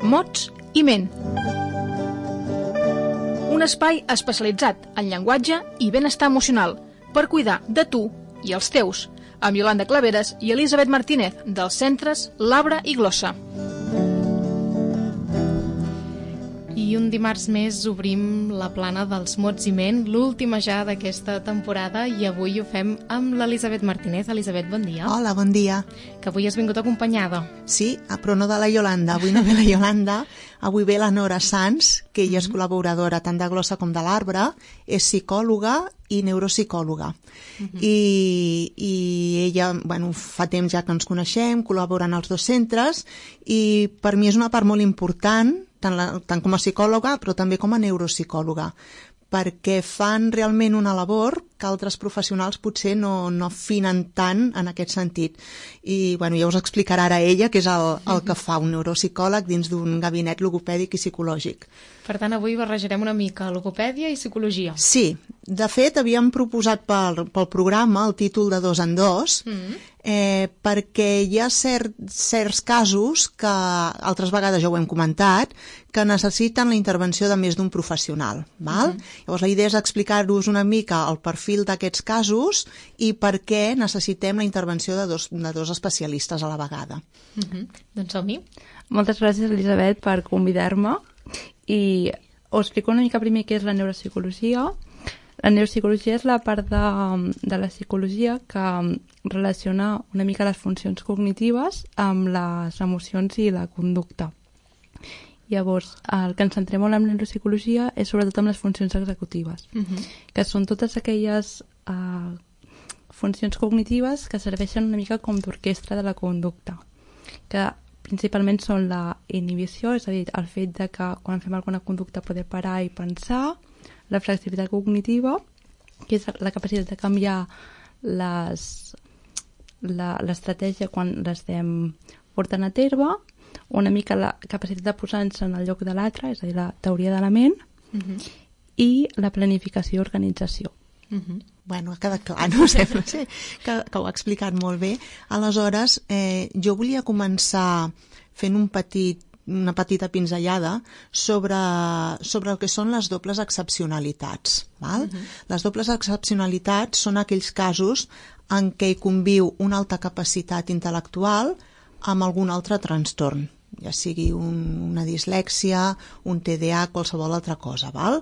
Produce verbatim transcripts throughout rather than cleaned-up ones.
mots i ment. Un espai especialitzat en llenguatge i benestar emocional per cuidar de tu i els teus, amb Iolanda Claveres i Elisabet Martínez, dels centres Labra i Glossa. I un dimarts més obrim la plana dels mots i ment, l'última ja d'aquesta temporada, i avui ho fem amb l'Elisabet Martínez. Elisabet, bon dia. Hola, bon dia. Que avui has vingut acompanyada. Sí, però no de la Iolanda. Avui no ve la Iolanda, avui ve la Nora Sans, que ella és col·laboradora tant de Glossa com de l'Arbre, és psicòloga i neuropsicòloga. Uh-huh. I, i ella, bueno, fa temps ja que ens coneixem, col·laboren als dos centres, i per mi és una part molt important, tant, la, tant com a psicòloga, però també com a neuropsicòloga, perquè fan realment una labor que altres professionals potser no, no afinen tant en aquest sentit. I bueno, ja us explicarà ara ella què és el, el que fa un neuropsicòleg dins d'un gabinet logopèdic i psicològic. Per tant, avui barrejarem una mica logopèdia i psicologia. Sí, de fet havíem proposat pel, pel programa el títol de dos en dos, mm. eh, perquè hi ha cert, certs casos que altres vegades ja ho hem comentat, que necessiten la intervenció de més d'un professional. Val? Mm. Llavors la idea és explicar-vos una mica el perfil d'aquests casos i per què necessitem la intervenció de dos, de dos especialistes a la vegada. Mm-hmm. Doncs som-hi. Moltes gràcies, Elisabet, per convidar-me. I us explico una mica primer què és la neuropsicologia. La neuropsicologia és la part de, de la psicologia que relaciona una mica les funcions cognitives amb les emocions i la conducta. Llavors, el que ens centrem molt en la neuropsicologia és sobretot amb les funcions executives, uh-huh. que són totes aquelles uh, funcions cognitives que serveixen una mica com d'orquestra de la conducta, que principalment són la inhibició, és a dir, el fet de que quan fem alguna conducta poder parar i pensar, la flexibilitat cognitiva, que és la capacitat de canviar les, la, l'estratègia quan l'estem portant a terme, una mica la capacitat de posar-nos en el lloc de l'altre, és a dir, la teoria de la ment, uh-huh. i la planificació i organització. Uh-huh. Bueno, ha quedat clar, no? Sembla sí, que, que ho ha explicat molt bé. Aleshores, eh, jo volia començar fent un petit, una petita pinzellada sobre, sobre el que són les dobles excepcionalitats. Val? Uh-huh. Les dobles excepcionalitats són aquells casos en què hi conviu una alta capacitat intel·lectual amb algun altre trastorn, ja sigui un, una dislèxia, un T D A, qualsevol altra cosa. Val?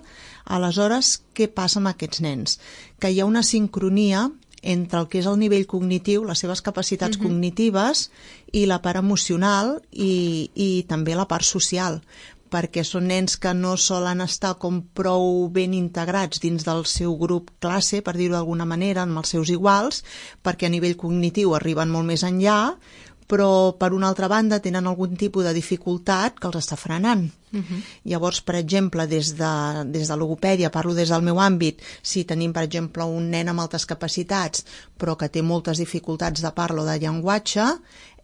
Aleshores, què passa amb aquests nens? Que hi ha una sincronia entre el que és el nivell cognitiu, les seves capacitats uh-huh. cognitives, i la part emocional i, i també la part social, perquè són nens que no solen estar com prou ben integrats dins del seu grup classe, per dir-ho d'alguna manera, amb els seus iguals, perquè a nivell cognitiu arriben molt més enllà, però per una altra banda tenen algun tipus de dificultat que els està frenant. Uh-huh. Llavors, per exemple, des de, des de logopèdia, parlo des del meu àmbit, si tenim, per exemple, un nen amb altes capacitats però que té moltes dificultats de parla o de llenguatge,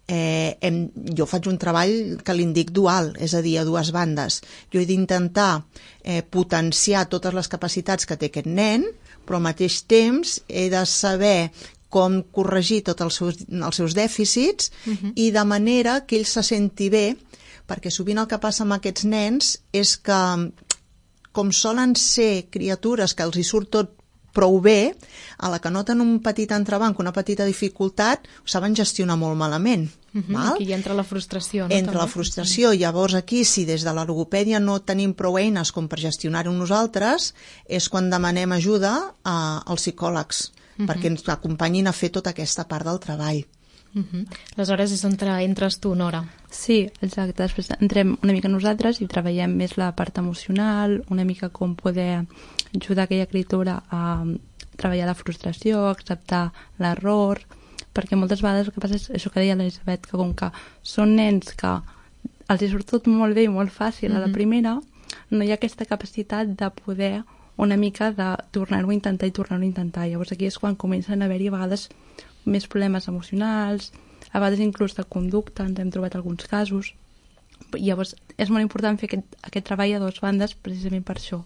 eh, hem, jo faig un treball que li'n dic dual, és a dir, a dues bandes. Jo he d'intentar eh, potenciar totes les capacitats que té aquest nen, però al mateix temps he de saber com corregir tots els seus, els seus dèficits uh-huh. i de manera que ell se senti bé, perquè sovint el que passa amb aquests nens és que, com solen ser criatures que els hi surt tot prou bé, a la que noten un petit entrebanc, una petita dificultat, ho saben gestionar molt malament. Uh-huh. Val? Aquí entra la frustració. No? Entra també? la frustració. Llavors aquí, si des de la logopèdia no tenim prou eines com per gestionar-ho nosaltres, és quan demanem ajuda a, als psicòlegs, uh-huh. perquè ens acompanyin a fer tota aquesta part del treball. Uh-huh. Aleshores és on entres tu, Nora. Sí, exacte. Després entrem una mica nosaltres i treballem més la part emocional, una mica com poder ajudar aquella criatura a treballar la frustració, acceptar l'error, perquè moltes vegades el que passa és això que deia l'Elisabet, que com que són nens que els hi surt tot molt bé i molt fàcil uh-huh. a la primera, no hi ha aquesta capacitat de poder una mica de tornar-ho a intentar i tornar-ho a intentar. Llavors aquí és quan comencen a haver-hi a vegades més problemes emocionals, a vegades inclús de conducta, ens hem trobat alguns casos. Llavors és molt important fer aquest, aquest treball a dues bandes precisament per això,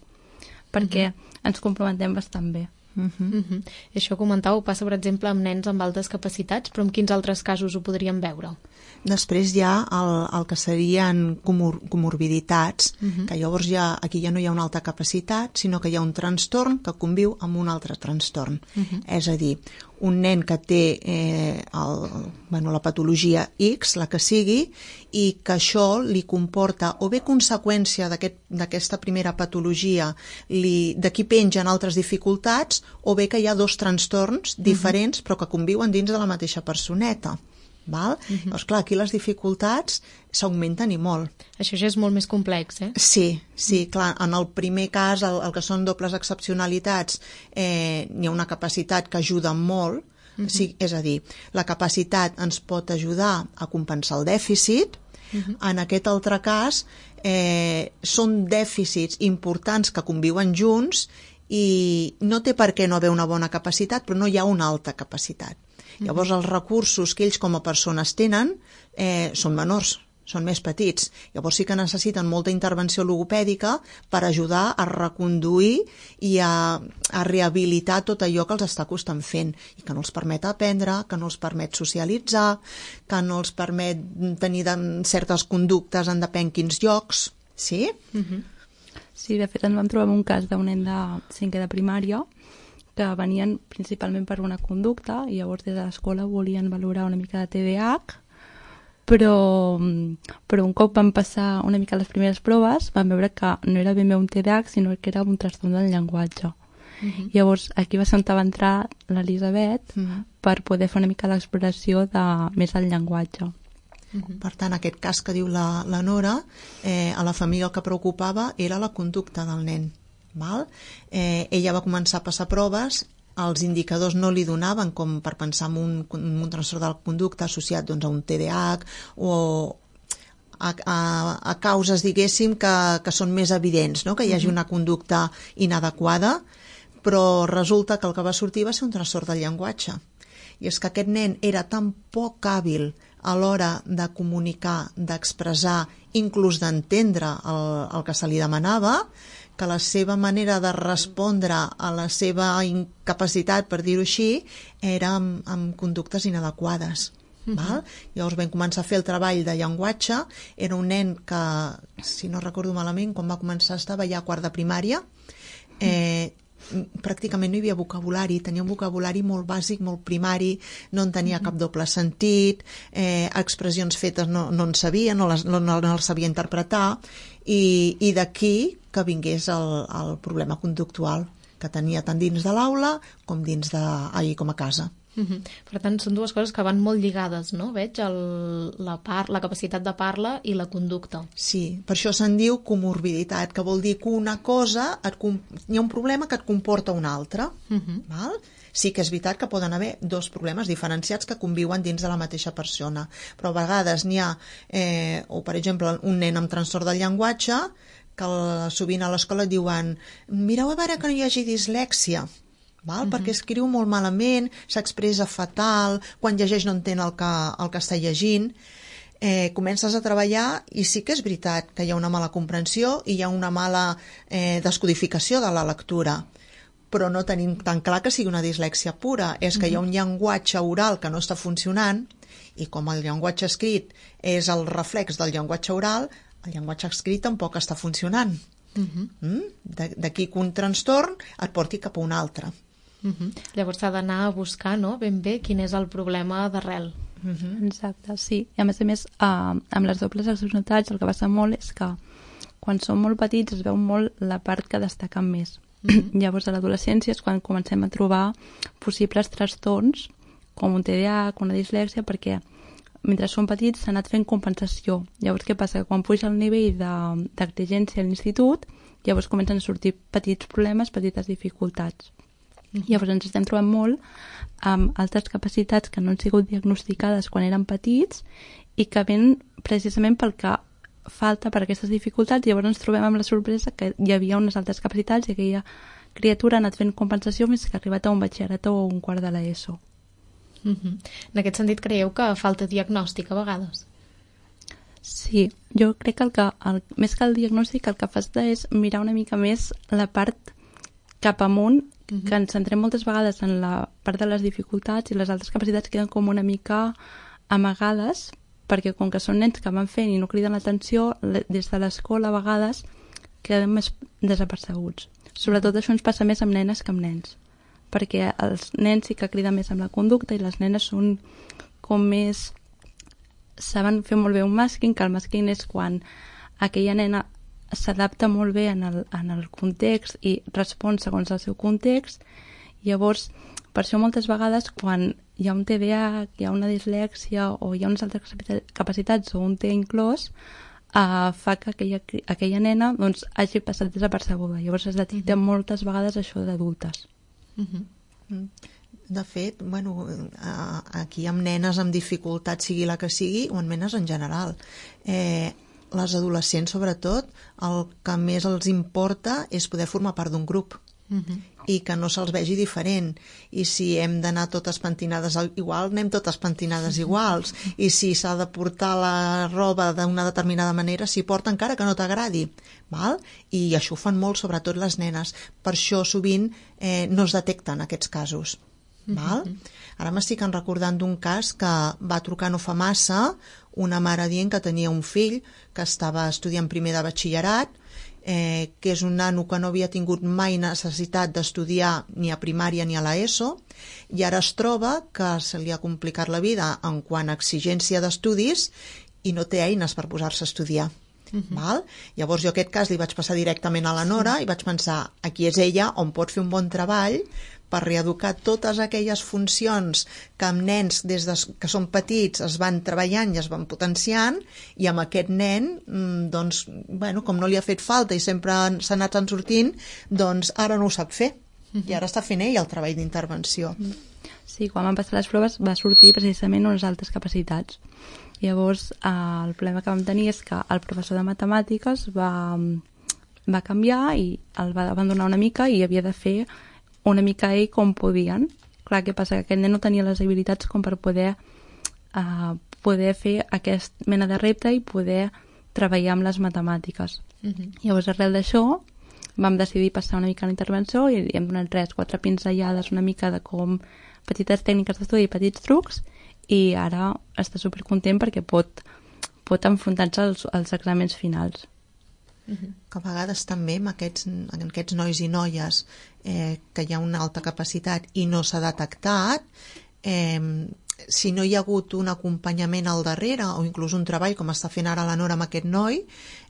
perquè uh-huh. ens complementem bastant bé. Uh -huh. Uh -huh. I això comentàveu passa, per exemple, amb nens amb altes capacitats, però en quins altres casos ho podríem veure? Després hi ha el, el que serien comor comorbiditats, uh -huh. que llavors ja, aquí ja no hi ha una alta capacitat, sinó que hi ha un trastorn que conviu amb un altre trastorn. Uh -huh. És a dir, un nen que té eh, el, bueno, la patologia X, la que sigui, i que això li comporta o bé conseqüència d'aquesta aquest, primera patologia, d'aquí pengen altres dificultats, o bé que hi ha dos trastorns diferents, uh -huh. però que conviuen dins de la mateixa personeta. Val? Uh-huh. Llavors, clar, aquí les dificultats s'augmenten i molt. Això ja és molt més complex, eh? Sí, sí, clar, en el primer cas, el, el que són dobles excepcionalitats, eh, hi ha una capacitat que ajuda molt, uh-huh. sí, és a dir, la capacitat ens pot ajudar a compensar el dèficit. Uh-huh. En aquest altre cas, eh, són dèficits importants que conviuen junts i no té per què no haver una bona capacitat, però no hi ha una alta capacitat. Llavors els recursos que ells com a persones tenen eh, són menors, són més petits. Llavors sí que necessiten molta intervenció logopèdica per ajudar a reconduir i a, a rehabilitar tot allò que els està costant fent i que no els permet aprendre, que no els permet socialitzar, que no els permet tenir de, certes conductes en depèn quins llocs. Sí? Uh-huh. Sí, de fet ens vam trobar un cas d'un nen de cinquè de primària que venien principalment per una conducta i llavors des de l'escola volien valorar una mica de T D A H, però, però un cop van passar una mica les primeres proves van veure que no era ben bé un T D A H sinó que era un trastorn del llenguatge. Uh-huh. Llavors aquí va ser on va entrar l'Elisabet uh-huh. per poder fer una mica l'exploració de més al llenguatge. Uh-huh. Per tant, aquest cas que diu la, la Nora, eh, a la família el que preocupava era la conducta del nen. Val? Eh, ella va començar a passar proves, els indicadors no li donaven com per pensar en un, un trastorn de la conducta associat doncs, a un T D A H o a, a, a causes, diguéssim, que, que són més evidents, no? Que hi hagi una conducta inadequada, però resulta que el que va sortir va ser un trastorn del llenguatge. I és que aquest nen era tan poc hàbil a l'hora de comunicar, d'expressar, inclús d'entendre el, el que se li demanava, que la seva manera de respondre a la seva incapacitat, per dir-ho així, era amb, amb conductes inadequades. Uh-huh. Val? Llavors vam començar a fer el treball de llenguatge. Era un nen que, si no recordo malament, quan va començar estava ja a quart de primària. Eh, pràcticament no hi havia vocabulari, tenia un vocabulari molt bàsic, molt primari, no en tenia cap doble sentit, eh, expressions fetes no, no en sabia, no les, no, no les sabia interpretar, i, i d'aquí que vingués el, el problema conductual que tenia tant dins de l'aula com dins de, ahir com a casa. Uh-huh. Per tant, són dues coses que van molt lligades, no? Veig el, la, par, la capacitat de parla i la conducta. Sí, per això se'n diu comorbiditat, que vol dir que una cosa, et, hi ha un problema que et comporta una altra. Uh-huh. Val? Sí que és veritat que poden haver dos problemes diferenciats que conviuen dins de la mateixa persona, però a vegades n'hi ha, eh, o per exemple, un nen amb trastorn del llenguatge, que el, sovint a l'escola et diuen mireu a veure que no hi hagi dislèxia, val? Uh-huh. Perquè escriu molt malament, s'expressa fatal, quan llegeix no entén el que, el que està llegint. Eh, comences a treballar i sí que és veritat que hi ha una mala comprensió i hi ha una mala eh, descodificació de la lectura, però no tenim tan clar que sigui una dislèxia pura. És que uh-huh. hi ha un llenguatge oral que no està funcionant i com el llenguatge escrit és el reflex del llenguatge oral, el llenguatge escrit tampoc està funcionant. Uh-huh. mm? D'aquí que un trastorn et porti cap a un altre. Uh-huh. Llavors s'ha d'anar a buscar, no?, ben bé quin és el problema d'arrel. Uh-huh. Exacte, sí. I a més a més, uh, amb les dobles excepcionalitats el que passa molt és que quan som molt petits es veu molt la part que destaquen més. Uh-huh. Llavors a l'adolescència és quan comencem a trobar possibles trastorns com un T D A H, una dislèxia, perquè mentre som petits s'ha anat fent compensació. Llavors què passa? Que quan puja el nivell d'exigència a l'institut, llavors comencen a sortir petits problemes, petites dificultats. Llavors ens estem trobant molt amb altres capacitats que no han sigut diagnosticades quan eren petits i que ven precisament pel que falta per aquestes dificultats. Llavors ens trobem amb la sorpresa que hi havia unes altres capacitats i aquella criatura ha anat fent compensació més que ha arribat a un batxillerat o un quart de l'ESO. Uh-huh. En aquest sentit, creieu que falta diagnòstic a vegades? Sí, jo crec que, el que el, més que el diagnòstic el que fas és mirar una mica més la part cap amunt uh-huh. que ens centrem moltes vegades en la part de les dificultats i les altres capacitats queden com una mica amagades, perquè com que són nens que van fent i no criden l'atenció, des de l'escola a vegades queden més desapercebuts. Sobretot això ens passa més amb nenes que amb nens, perquè els nens sí que criden més amb la conducta i les nenes són com més... saben fer molt bé un masking, que el masking és quan aquella nena s'adapta molt bé en el, en el context i respon segons el seu context. Llavors, per això moltes vegades quan hi ha un T D A H, hi ha una dislèxia o hi ha unes altres capacitats o un T inclòs, uh, fa que aquella, aquella nena doncs, hagi passat desapercebuda. Llavors es detecta uh-huh. moltes vegades això d'adultes. Uh-huh. De fet, bueno, aquí amb nenes amb dificultat, sigui la que sigui, o en nenes en general, eh, les adolescents, sobretot, el que més els importa és poder formar part d'un grup. Uh-huh. I que no se'ls vegi diferent. I si hem d'anar totes pentinades igual, anem totes pentinades iguals. I si s'ha de portar la roba d'una determinada manera, s'hi porta encara que no t'agradi. Val? I això ho fan molt, sobretot les nenes. Per això sovint eh, no es detecten aquests casos. Val? Ara m'estic recordant d'un cas que va trucar no fa massa una mare dient que tenia un fill que estava estudiant primer de batxillerat, eh, que és un nano que no havia tingut mai necessitat d'estudiar ni a primària ni a l'ESO, i ara es troba que se li ha complicat la vida en quant a exigència d'estudis i no té eines per posar-se a estudiar. Uh-huh. Val? Llavors jo aquest cas li vaig passar directament a la Nora i vaig pensar, aquí és ella on pot fer un bon treball per reeducar totes aquelles funcions que amb nens des de, que són petits es van treballant i es van potenciant, i amb aquest nen doncs, bueno, com no li ha fet falta i sempre s'ha anat en sortint, doncs ara no ho sap fer. Uh-huh. I ara està fent ell el treball d'intervenció. Sí, quan van passar les proves va sortir precisament unes altres capacitats. Llavors eh, el problema que vam tenir és que el professor de matemàtiques va, va canviar i el va abandonar una mica i havia de fer una mica ell com podien. Clar, què passa? Que aquest nen no tenia les habilitats com per poder, uh, poder fer aquest mena de repte i poder treballar amb les matemàtiques. Uh-huh. Llavors, arrel d'això, vam decidir passar una mica a la intervenció i hem donat tres, quatre pinzellades una mica de com petites tècniques d'estudi i petits trucs, i ara està supercontent perquè pot, pot enfrontar-se als, als exàmens finals. Uh-huh. Que a vegades també amb aquests, amb aquests nois i noies eh, que hi ha una alta capacitat i no s'ha detectat, eh, si no hi ha hagut un acompanyament al darrere o inclús un treball com està fent ara la Nora amb aquest noi,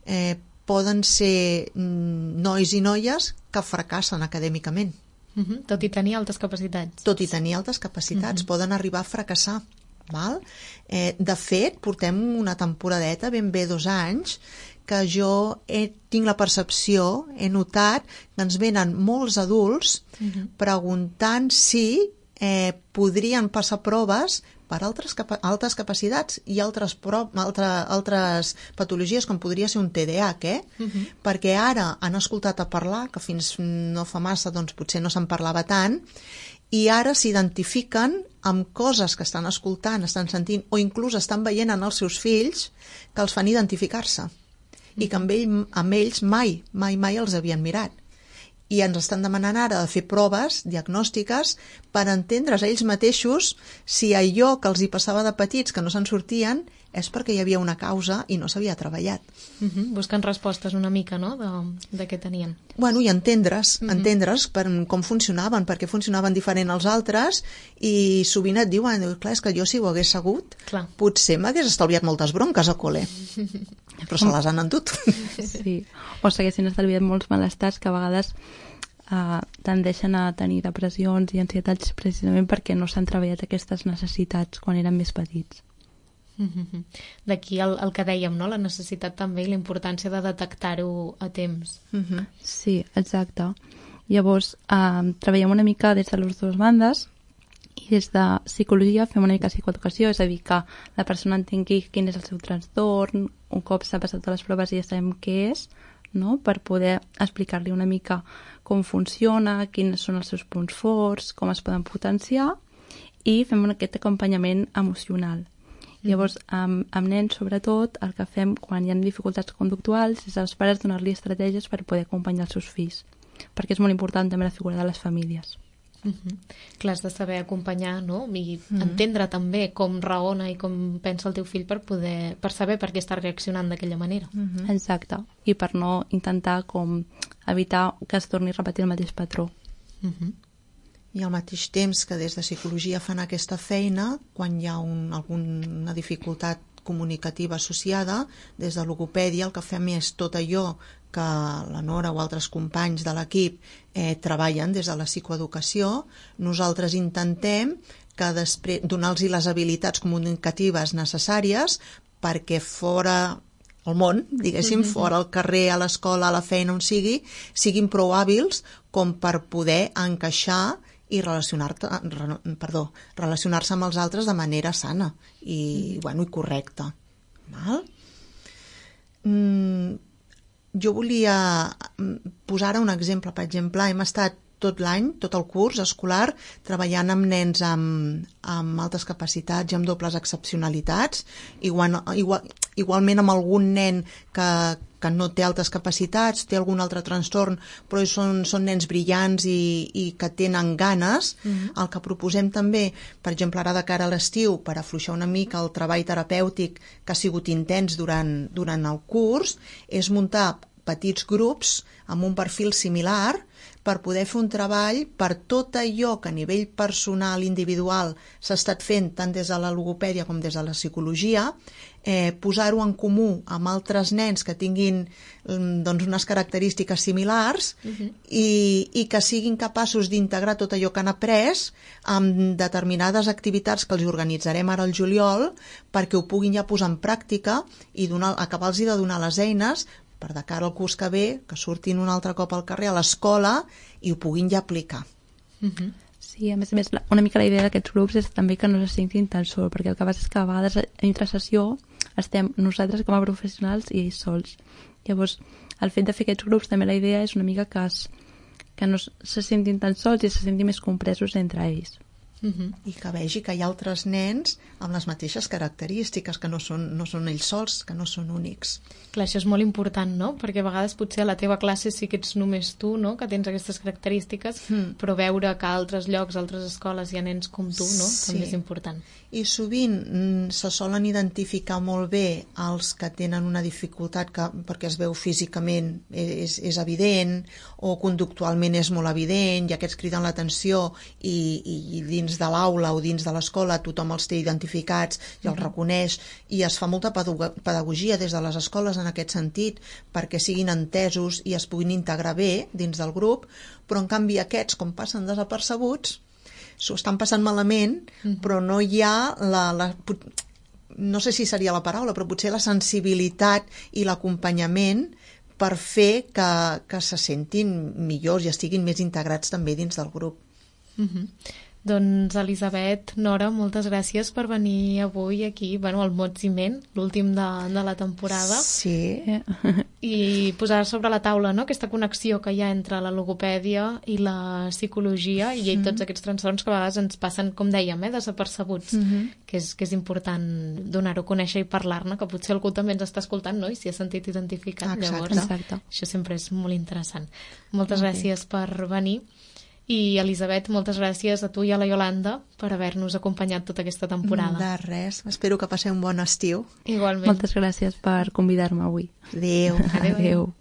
eh, poden ser nois i noies que fracassen acadèmicament. Uh-huh. Tot i tenir altes capacitats. Tot i tenir altes capacitats, uh-huh. poden arribar a fracassar. Val? Eh, de fet, portem una temporadeta, ben bé dos anys, que jo he, tinc la percepció, he notat que ens venen molts adults uh-huh. preguntant si eh, podrien passar proves per altres, capa altres capacitats i altres, pro altre, altres patologies com podria ser un T D A H, eh? Uh-huh. Perquè ara han escoltat a parlar, que fins no fa massa doncs potser no se'n parlava tant, i ara s'identifiquen amb coses que estan escoltant, estan sentint o inclús estan veient en els seus fills que els fan identificar-se. I que amb, ell, amb ells mai, mai, mai els havien mirat. I ens estan demanant ara de fer proves diagnòstiques per entendre's ells mateixos si allò que els hi passava de petits que no se'n sortien és perquè hi havia una causa i no s'havia treballat. Uh-huh. Buscant respostes una mica, no?, de, de què tenien. Bueno, i entendre's, uh-huh. entendre's per com funcionaven, perquè funcionaven diferent als altres, i sovint et diuen, clar, és que jo si ho hagués sabut, clar. Potser m'hagués estalviat moltes bronques a col·le. Però se les han endut. Sí, o s'haguessin estalviat molts malestars que a vegades uh, tendeixen a tenir depressions i ansietats precisament perquè no s'han treballat aquestes necessitats quan eren més petits. Mm-hmm. D'aquí el, el que dèiem, no? La necessitat també i la importància de detectar-ho a temps. Mm-hmm. Sí, exacte. Llavors, uh, treballem una mica des de les dues bandes i des de psicologia fem una mica psicoeducació, és a dir, que la persona entengui quin és el seu trastorn, un cop s'ha passat a les proves i ja sabem què és, no? Per poder explicar-li una mica com funciona, quins són els seus punts forts, com es poden potenciar, i fem aquest acompanyament emocional. Llavors, amb, amb nens, sobretot, el que fem quan hi ha dificultats conductuals és als pares donar-li estratègies per poder acompanyar els seus fills. perquè és molt important també la figura de les famílies. Uh -huh. Clar, has de saber acompanyar, no? I uh -huh. entendre també com raona i com pensa el teu fill per poder per saber per què està reaccionant d'aquella manera. Uh -huh. Exacte, i per no intentar com evitar que es torni a repetir el mateix patró. Uh -huh. I al mateix temps que des de psicologia fan aquesta feina, quan hi ha un, alguna dificultat comunicativa associada, des de logopèdia el que fem és tot allò que la Nora o altres companys de l'equip eh, treballen des de la psicoeducació. Nosaltres intentem que després donar-los les habilitats comunicatives necessàries perquè fora al món, diguéssim, mm-hmm. fora al carrer, a l'escola, a la feina, on sigui, siguin prou hàbils com per poder encaixar i relacionar-te, perdó, relacionar-se amb els altres de manera sana i, mm. bueno, i correcta. Val? Mm, jo volia posar ara un exemple. Per exemple, hem estat tot l'any, tot el curs escolar, treballant amb nens amb, amb altes capacitats i amb dobles excepcionalitats, igual, igual, igualment amb algun nen que, que no té altes capacitats, té algun altre trastorn, però són, són nens brillants i, i que tenen ganes. Mm-hmm. El que proposem també, per exemple, ara de cara a l'estiu, per afluixar una mica el treball terapèutic que ha sigut intens durant, durant el curs, és muntar petits grups amb un perfil similar per poder fer un treball per tot allò que a nivell personal, individual, s'ha estat fent tant des de la logopèdia com des de la psicologia, eh, posar-ho en comú amb altres nens que tinguin doncs, unes característiques similars uh-huh. i, i que siguin capaços d'integrar tot allò que han après amb determinades activitats que els organitzarem ara al juliol perquè ho puguin ja posar en pràctica i donar, acabar-los de donar les eines per de cara al curs que ve, que surtin un altre cop al carrer, a l'escola, i ho puguin ja aplicar. Uh-huh. Sí, a més a més, una mica la idea d'aquests grups és també que no se sentin tan sols, perquè el que passa és que a vegades entre sessió estem nosaltres com a professionals i ells sols. Llavors, el fet de fer aquests grups, també la idea és una mica que, es, que no se sentin tan sols i se sentin més compresos entre ells. Uh-huh. I que vegi que hi ha altres nens amb les mateixes característiques, que no són, no són ells sols, que no són únics. Clar, això és molt important, no? Perquè a vegades potser a la teva classe sí que ets només tu, no?, que tens aquestes característiques, mm. però veure que a altres llocs, a altres escoles hi ha nens com tu, no?, sí. També és important. I sovint mm, se solen identificar molt bé els que tenen una dificultat que, perquè es veu físicament és, és evident o conductualment és molt evident i aquests criden l'atenció i, i dins de l'aula o dins de l'escola tothom els té identificats i els mm. reconeix i es fa molta pedagogia des de les escoles en aquest sentit perquè siguin entesos i es puguin integrar bé dins del grup, però en canvi aquests, com passen desapercebuts, s'ho estan passant malament, mm-hmm. però no hi ha la, la... no sé si seria la paraula, però potser la sensibilitat i l'acompanyament per fer que, que se sentin millors i estiguin més integrats també dins del grup. Mm-hmm. Doncs, Elisabet, Nora, moltes gràcies per venir avui aquí, bueno, al Mots i Ment, l'últim de, de la temporada. Sí. I posar sobre la taula, no?, aquesta connexió que hi ha entre la logopèdia i la psicologia i mm. tots aquests trastorns que a vegades ens passen, com dèiem, eh, desapercebuts, mm -hmm. que, és, que és important donar-ho a conèixer i parlar-ne, que potser algú també ens està escoltant, no?, i s'hi ha sentit identificat. Exacte. Llavors, Exacte. Això sempre és molt interessant. Moltes okay. gràcies per venir. I, Elisabet, moltes gràcies a tu i a la Iolanda per haver-nos acompanyat tota aquesta temporada. De res. Espero que passeu un bon estiu. Igualment. Moltes gràcies per convidar-me avui. Adéu. Adéu. Adéu.